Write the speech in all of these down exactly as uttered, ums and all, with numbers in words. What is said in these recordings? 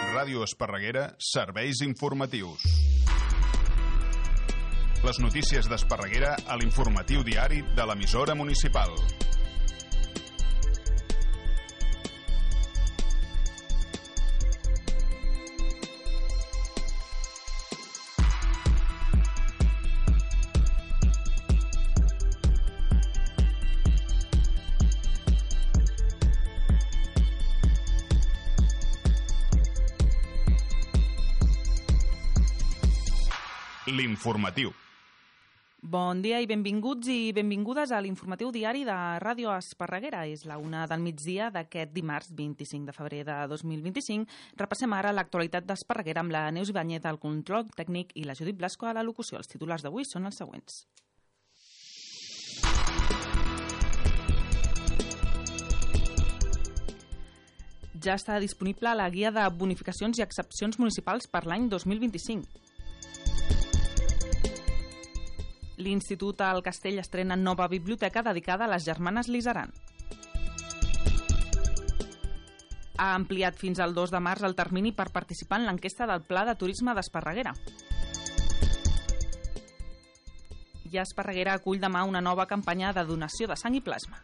Ràdio Esparreguera, serveis informatius. Les notícies d'Esparreguera a l'informatiu diari de l'emissora municipal. L'informatiu. Bon dia i benvinguts i benvingudes a l'informatiu diari de Ràdio Esparreguera. És la una del migdia d'aquest dimarts vint-i-cinc de febrer de dos mil vint-i-cinc. Repassem ara l'actualitat d'Esparreguera amb la Neus Ibáñez al control tècnic i la Judit Blasco a la locució. Els titulars d'avui són els següents. Ja està disponible la guia de bonificacions i excepcions municipals per l'any dos mil vint-i-cinc. L'Institut al Castell estrena nova biblioteca dedicada a les germanes Lizaran. Ha ampliat fins al dos de març el termini per participar en l'enquesta del Pla de Turisme d'Esparreguera. I Esparreguera acull demà una nova campanya de donació de sang i plasma.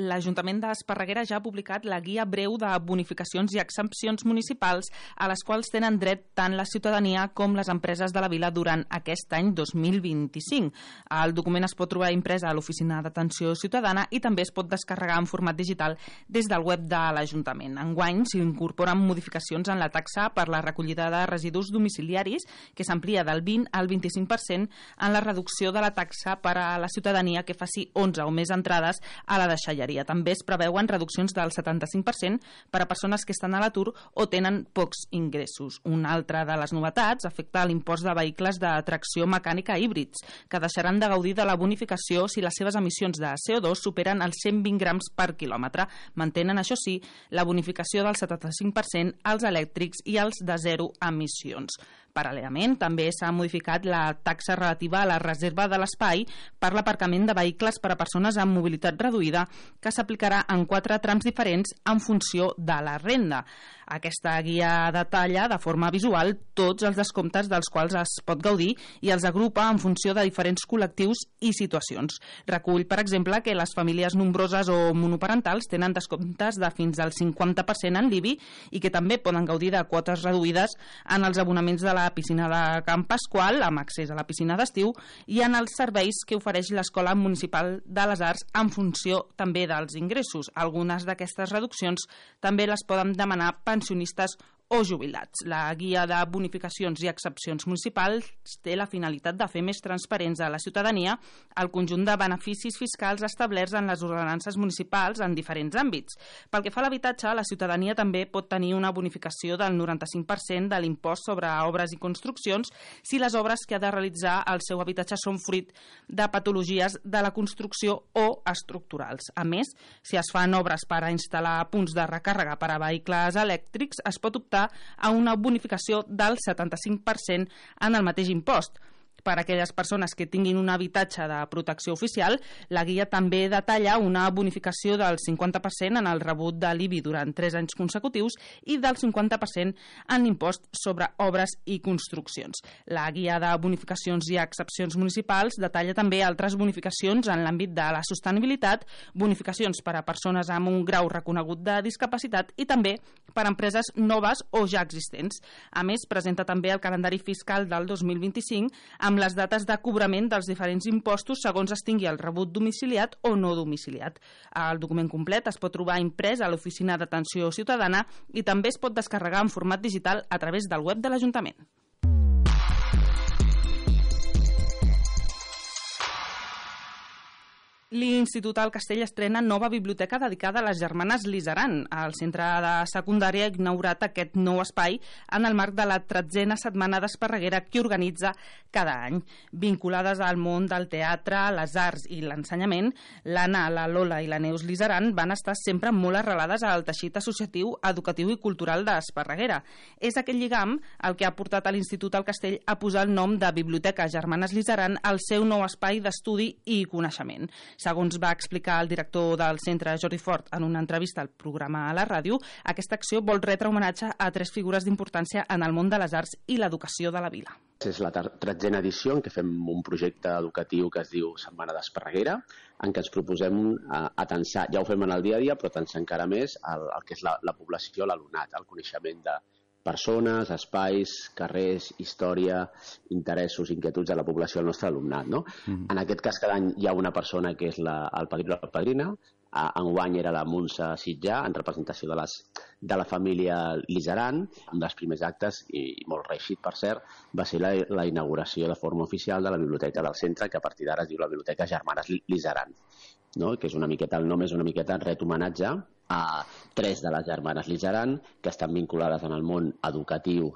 L'Ajuntament d'Esparreguera ja ha publicat la guia breu de bonificacions i exempcions municipals a les quals tenen dret tant la ciutadania com les empreses de la vila durant aquest any dos mil vint-i-cinc. El document es pot trobar imprès a l'Oficina d'Atenció Ciutadana i també es pot descarregar en format digital des del web de l'Ajuntament. Enguany s'incorporen modificacions en la taxa per la recollida de residus domiciliaris, que s'amplia del vint al vint-i-cinc per cent en la reducció de la taxa per a la ciutadania que faci onze o més entrades a la deixalleria. També es preveuen reduccions del setanta-cinc per cent per a persones que estan a l'atur o tenen pocs ingressos. Una altra de les novetats afecta l'impost de vehicles de tracció mecànica híbrids, que deixaran de gaudir de la bonificació si les seves emissions de C O dos superen els cent vint grams per quilòmetre. Mantenen, això sí, la bonificació del setanta-cinc per cent als elèctrics i als de zero emissions. Paral·lelament, també s'ha modificat la taxa relativa a la reserva de l'espai per l'aparcament de vehicles per a persones amb mobilitat reduïda, que s'aplicarà en quatre trams diferents en funció de la renda. Aquesta guia detalla de forma visual tots els descomptes dels quals es pot gaudir i els agrupa en funció de diferents col·lectius i situacions. Recull, per exemple, que les famílies nombroses o monoparentals tenen descomptes de fins al cinquanta per cent en l'I B I i que també poden gaudir de quotes reduïdes en els abonaments de la piscina de Camp Pasqual, amb accés a la piscina d'estiu, i en els serveis que ofereix l'Escola Municipal de les Arts en funció també dels ingressos. Algunes d'aquestes reduccions també les poden demanar pensionistes o jubilats. La guia de bonificacions i excepcions municipals té la finalitat de fer més transparents a la ciutadania el conjunt de beneficis fiscals establerts en les ordenances municipals en diferents àmbits. Pel que fa a l'habitatge, la ciutadania també pot tenir una bonificació del noranta-cinc per cent de l'impost sobre obres i construccions si les obres que ha de realitzar al seu habitatge són fruit de patologies de la construcció o estructurals. A més, si es fan obres per a instal·lar punts de recàrrega per a vehicles elèctrics, es pot optar a una bonificació del setanta-cinc per cent en el mateix impost. Per a aquelles persones que tinguin un habitatge de protecció oficial, la guia també detalla una bonificació del cinquanta per cent en el rebut de l'I B I durant tres anys consecutius i del cinquanta per cent en l'impost sobre obres i construccions. La guia de bonificacions i excepcions municipals detalla també altres bonificacions en l'àmbit de la sostenibilitat, bonificacions per a persones amb un grau reconegut de discapacitat i també per a empreses noves o ja existents. A més, presenta també el calendari fiscal del dos mil vint-i-cinc amb les dates de cobrament dels diferents impostos segons es tingui el rebut domiciliat o no domiciliat. El document complet es pot trobar imprès a l'Oficina d'Atenció Ciutadana i també es pot descarregar en format digital a través del web de l'Ajuntament. L'Institut al Castell estrena nova biblioteca dedicada a les germanes Lizaran. El centre de secundària ha inaugurat aquest nou espai en el marc de la tretzena setmana d'Esparreguera que organitza cada any. Vinculades al món del teatre, les arts i l'ensenyament, l'Anna, la Lola i la Neus Lizaran van estar sempre molt arrelades al teixit associatiu, educatiu i cultural d'Esparreguera. És aquest lligam el que ha portat a l'Institut al Castell a posar el nom de Biblioteca Germanes Lizaran al seu nou espai d'estudi i coneixement. Segons va explicar el director del centre, Jordi Fort, en una entrevista al programa a la ràdio, aquesta acció vol retre homenatge a tres figures d'importància en el món de les arts i l'educació de la vila. És la tretzena edició en què fem un projecte educatiu que es diu Setmana d'Esparreguera, en què ens proposem atensar, ja ho fem en el dia a dia, però atensar encara més el, el que és la, la població, l'alumnat, el coneixement de persones, espais, carrers, història, interessos, inquietuds de la població del nostre alumnat. No? Mm. En aquest cas, cada any hi ha una persona que és la, el padrí o la padrina. Enguany era la Montse Sitjà, en representació de, les, de la família Lizaran. Un dels primers actes, i molt reeixit per cert, va ser la, la inauguració de forma oficial de la biblioteca del centre, que a partir d'ara es diu la Biblioteca Germanes Lizaran. No? Que és una miqueta, el nom és una miqueta ret homenatge a tres de les germanes Lizaran que estan vinculades en el món educatiu,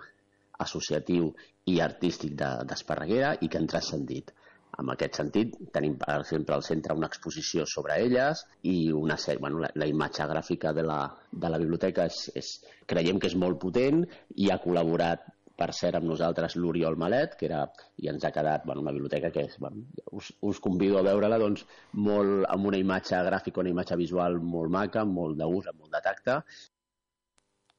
associatiu i artístic d'Esparreguera i que han transcendit. En aquest sentit, tenim, per exemple, al centre una exposició sobre elles i una sèrie, bueno, la, la imatge gràfica de la, de la biblioteca és, és, creiem que és molt potent i ha col·laborat, per cert, amb nosaltres l'Oriol Malet, que era, i ens ha quedat bueno, una biblioteca que és, bueno, us, us convido a veure-la doncs, molt, amb una imatge gràfica, una imatge visual molt maca, amb molt d'ús, amb molt de tacte.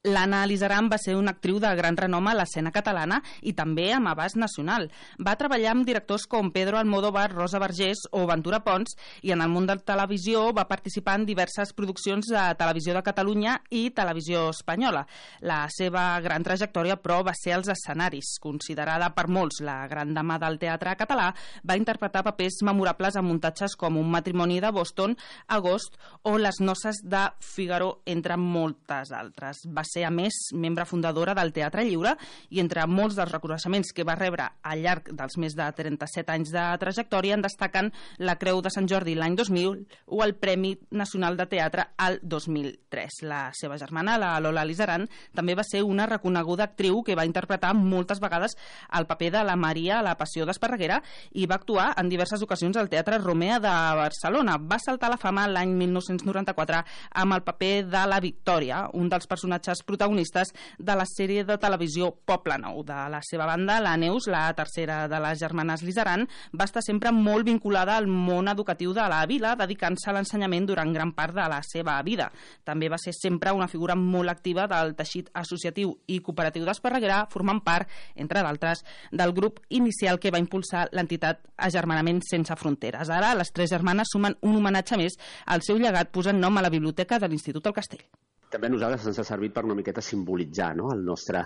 L'Anna Lizaran va ser una actriu de gran renom a l'escena catalana i també amb abast nacional. Va treballar amb directors com Pedro Almodóvar, Rosa Vergés o Ventura Pons i en el món de la televisió va participar en diverses produccions de Televisió de Catalunya i Televisió Espanyola. La seva gran trajectòria, però, va ser als escenaris. Considerada per molts la gran dama del teatre català, va interpretar papers memorables en muntatges com Un matrimoni de Boston, Agost o Les noces de Figaro, entre moltes altres. Va ser, a més, membre fundadora del Teatre Lliure i entre molts dels reconeixements que va rebre al llarg dels més de trenta-set anys de trajectòria en destaquen la Creu de Sant Jordi l'any dos mil o el Premi Nacional de Teatre al dos mil tres. La seva germana, la Lola Lizaran, també va ser una reconeguda actriu que va interpretar moltes vegades el paper de la Maria a La Passió d'Esparreguera i va actuar en diverses ocasions al Teatre Romea de Barcelona. Va saltar a la fama l'any mil nou-cents noranta-quatre amb el paper de la Victòria, un dels personatges protagonistes de la sèrie de televisió Poble Nou. De la seva banda, la Neus, la tercera de les germanes Lizaran, va estar sempre molt vinculada al món educatiu de la vila, dedicant-se a l'ensenyament durant gran part de la seva vida. També va ser sempre una figura molt activa del teixit associatiu i cooperatiu d'Esparreguera, formant part, entre d'altres, del grup inicial que va impulsar l'entitat Agermanament Sense Fronteres. Ara, les tres germanes sumen un homenatge més al seu llegat posant nom a la biblioteca de l'Institut al Castell. També a nosaltres ens ha servit per una miqueta simbolitzar, no?, el nostre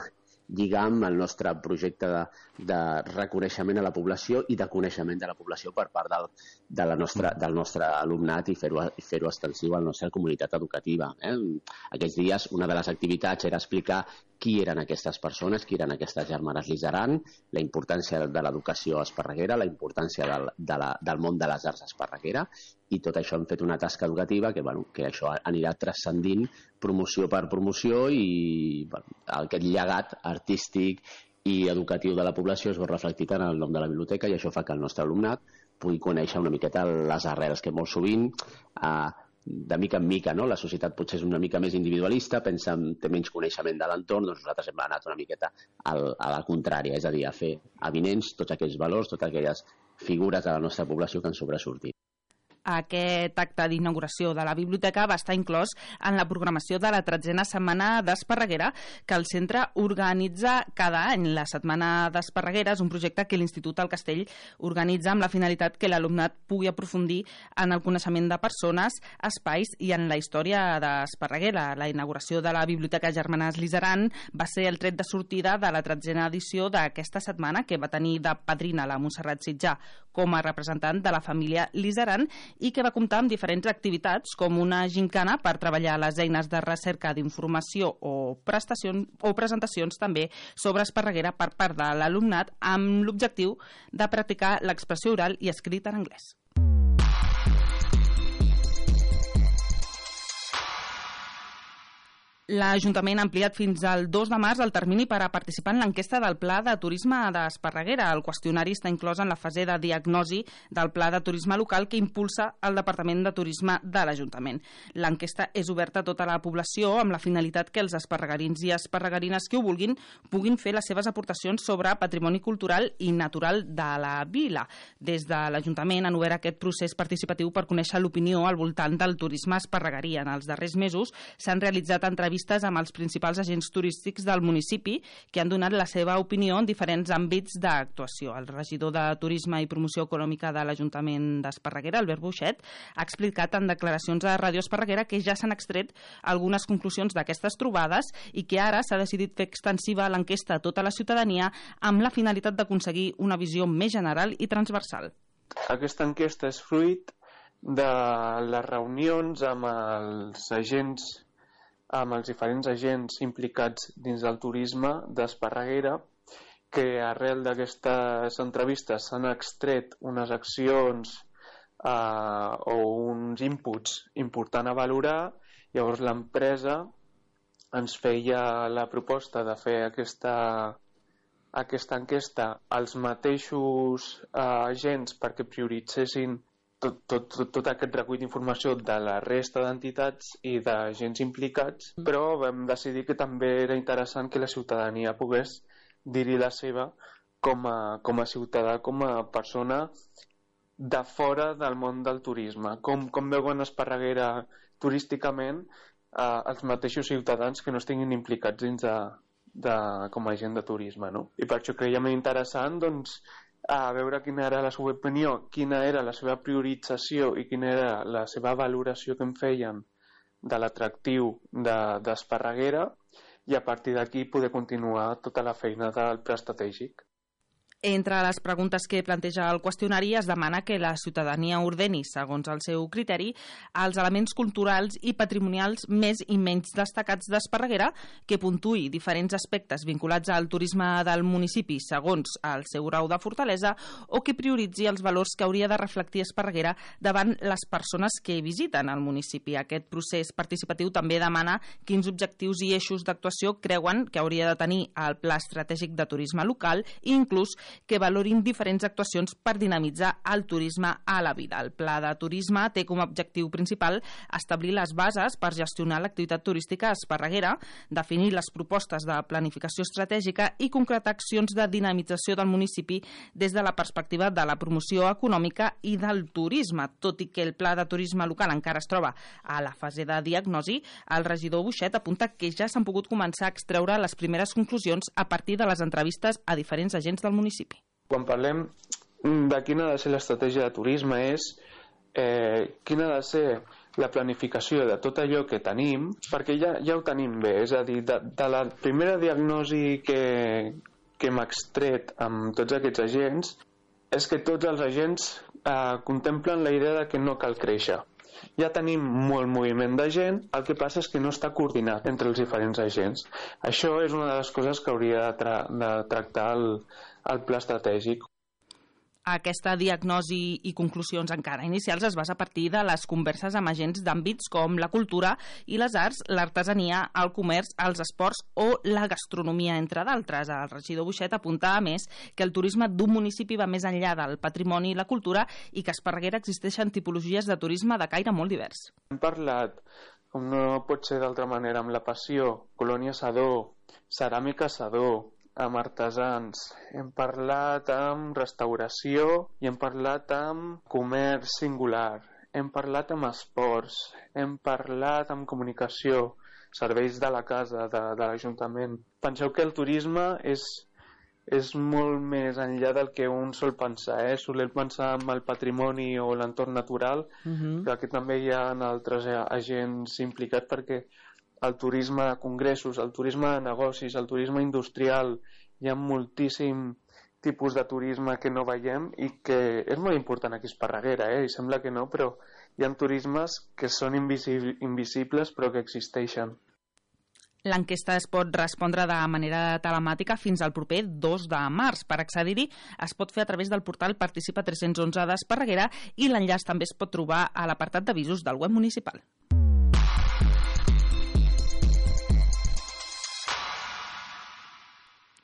lligam, el nostre projecte de, de reconeixement a la població i de coneixement de la població per part del, de la nostra, del nostre alumnat i fer-ho fer-ho extensiu a la nostra comunitat educativa. Eh? Aquests dies una de les activitats era explicar qui eren aquestes persones, qui eren aquestes germanes Lizaran, la importància de l'educació a Esparreguera, la importància del, de la, del món de les arts a Esparreguera, i tot això hem fet una tasca educativa que, bueno, que això anirà transcendint promoció per promoció i bueno, aquest llegat artístic i educatiu de la població es veu reflectit en el nom de la biblioteca i això fa que el nostre alumnat pugui conèixer una miqueta les arrels que molt sovint eh, de mica en mica, no? La societat potser és una mica més individualista, pensa en té menys coneixement de l'entorn, doncs nosaltres hem anat una miqueta al, a la contrària, és a dir, a fer avinents tots aquells valors, totes aquelles figures de la nostra població que han sobresortit. Aquest acte d'inauguració de la biblioteca va estar inclòs en la programació de la tretzena setmana d'Esparreguera que el centre organitza cada any. La setmana d'Esparreguera és un projecte que l'Institut al Castell organitza amb la finalitat que l'alumnat pugui aprofundir en el coneixement de persones, espais i en la història d'Esparreguera. La inauguració de la Biblioteca Germanes Lizaran va ser el tret de sortida de la tretzena edició d'aquesta setmana que va tenir de padrina la Montserrat Sitjà com a representant de la família Lizaran i que va comptar amb diferents activitats com una gincana per treballar les eines de recerca d'informació o prestacions o presentacions també sobre Esparreguera per part de l'alumnat amb l'objectiu de practicar l'expressió oral i escrit en anglès. L'Ajuntament ha ampliat fins al dos de març el termini per a participar en l'enquesta del Pla de Turisme d'Esparreguera. El qüestionari està inclòs en la fase de diagnosi del Pla de Turisme local que impulsa el Departament de Turisme de l'Ajuntament. L'enquesta és oberta a tota la població amb la finalitat que els esparregarins i esparregarines que ho vulguin puguin fer les seves aportacions sobre patrimoni cultural i natural de la vila. Des de l'Ajuntament han obert aquest procés participatiu per conèixer l'opinió al voltant del turisme esparregarí. En els darrers mesos s'han realitzat entrevistes amb els principals agents turístics del municipi que han donat la seva opinió en diferents àmbits d'actuació. El regidor de Turisme i Promoció Econòmica de l'Ajuntament d'Esparreguera, Albert Buixet, ha explicat en declaracions a Ràdio Esparreguera que ja s'han extret algunes conclusions d'aquestes trobades i que ara s'ha decidit fer extensiva l'enquesta a tota la ciutadania amb la finalitat d'aconseguir una visió més general i transversal. Aquesta enquesta és fruit de les reunions amb els agents amb els diferents agents implicats dins del turisme d'Esparreguera, que arrel d'aquestes entrevistes s'han extret unes accions eh, o uns inputs importants a valorar. Llavors l'empresa ens feia la proposta de fer aquesta, aquesta enquesta als mateixos eh, agents perquè prioritzessin Tot, tot, tot, tot aquest recull d'informació de la resta d'entitats i d'agents implicats, però vam decidir que també era interessant que la ciutadania pogués dir-hi la seva com a, com a ciutadà, com a persona de fora del món del turisme. Com, com veuen Esparreguera turísticament eh, els mateixos ciutadans que no estiguin implicats dins de, de, com a agent de turisme, no? I per això creiem interessant, doncs, a veure quina era la seva opinió, quina era la seva priorització i quina era la seva valoració que en feien de l'atractiu d'Esparreguera i a partir d'aquí poder continuar tota la feina del pla estratègic. Entre les preguntes que planteja el qüestionari es demana que la ciutadania ordeni, segons el seu criteri, els elements culturals i patrimonials més i menys destacats d'Esparreguera, que puntuï diferents aspectes vinculats al turisme del municipi segons el seu grau de fortalesa o que prioritzi els valors que hauria de reflectir Esparreguera davant les persones que visiten el municipi. Aquest procés participatiu també demana quins objectius i eixos d'actuació creuen que hauria de tenir el Pla Estratègic de Turisme local i inclús que valorin diferents actuacions per dinamitzar el turisme a la vida. El Pla de Turisme té com a objectiu principal establir les bases per gestionar l'activitat turística a Esparreguera, definir les propostes de planificació estratègica i concretar accions de dinamització del municipi des de la perspectiva de la promoció econòmica i del turisme. Tot i que el Pla de Turisme local encara es troba a la fase de diagnosi, el regidor Buixet apunta que ja s'han pogut començar a extreure les primeres conclusions a partir de les entrevistes a diferents agents del municipi. Quan parlem de quina ha de ser l'estratègia de turisme és eh, quina ha de ser la planificació de tot allò que tenim, perquè ja, ja ho tenim bé, és a dir, de, de la primera diagnosi que, que hem extret amb tots aquests agents és que tots els agents eh, contemplen la idea de que no cal créixer. Ja tenim molt moviment de gent, el que passa és que no està coordinat entre els diferents agents. Això és una de les coses que hauria de, tra de tractar el, el pla estratègic. Aquesta diagnosi i conclusions encara inicials es basa a partir de les converses amb agents d'àmbits com la cultura i les arts, l'artesania, el comerç, els esports o la gastronomia, entre d'altres. El regidor Buixet apunta, a més, que el turisme d'un municipi va més enllà del patrimoni i la cultura i que a Esparreguera existeixen tipologies de turisme de caire molt divers. Hem parlat, com no pot ser d'altra manera, amb la Passió, Colònia Sadó, Ceràmica Sadó, amb artesans, hem parlat amb restauració i hem parlat amb comerç singular, hem parlat amb esports, hem parlat amb comunicació, serveis de la casa, de, de l'Ajuntament. Penseu que el turisme és, és molt més enllà del que un sol pensar, eh? Soler pensar en el patrimoni o l'entorn natural, uh-huh. Però aquí també hi ha altres agents implicats perquè el turisme de congressos, el turisme de negocis, el turisme industrial, hi ha moltíssim tipus de turisme que no veiem i que és molt important aquí a Esparreguera, eh? I sembla que no, però hi ha turismes que són invisibles però que existeixen. L'enquesta es pot respondre de manera telemàtica fins al proper dos de març. Per accedir-hi es pot fer a través del portal Participa tres cents onze d'Esparreguera i l'enllaç també es pot trobar a l'apartat d'avisos del web municipal.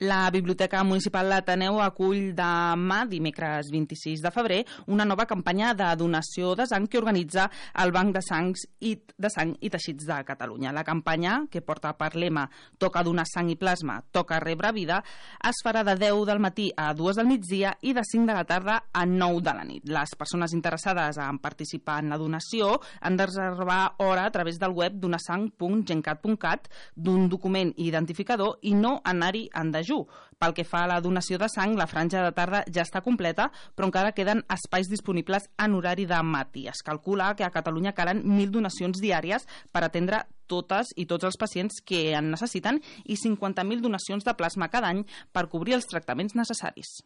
La Biblioteca Municipal d'Ateneu acull demà, dimecres vint-i-sis de febrer, una nova campanya de donació de sang que organitza el Banc de Sangs i de Sang i Teixits de Catalunya. La campanya, que porta per lema Toca donar sang i plasma, toca rebre vida, es farà de deu del matí a dues del migdia i de cinc de la tarda a nou de la nit. Les persones interessades en participar en la donació han de reservar hora a través del web donasang punt gencat punt cat d'un document identificador i no anar-hi en dejú. Pel que fa a la donació de sang, la franja de tarda ja està completa, però encara queden espais disponibles en horari de matí. Es calcula que a Catalunya calen mil donacions diàries per atendre totes i tots els pacients que en necessiten i cinquanta mil donacions de plasma cada any per cobrir els tractaments necessaris.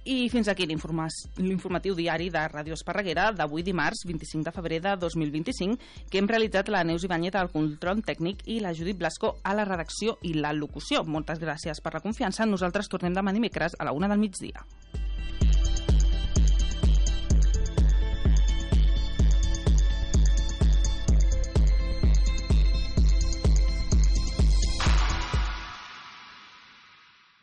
I fins aquí l'informatiu diari de Ràdio Esparreguera d'avui dimarts vint-i-cinc de febrer de dos mil vint-i-cinc, que hem realitzat la Neus Ibáñez al control tècnic i la Judit Blasco a la redacció i la locució. Moltes gràcies per la confiança. Nosaltres tornem demà dimecres a la una del migdia.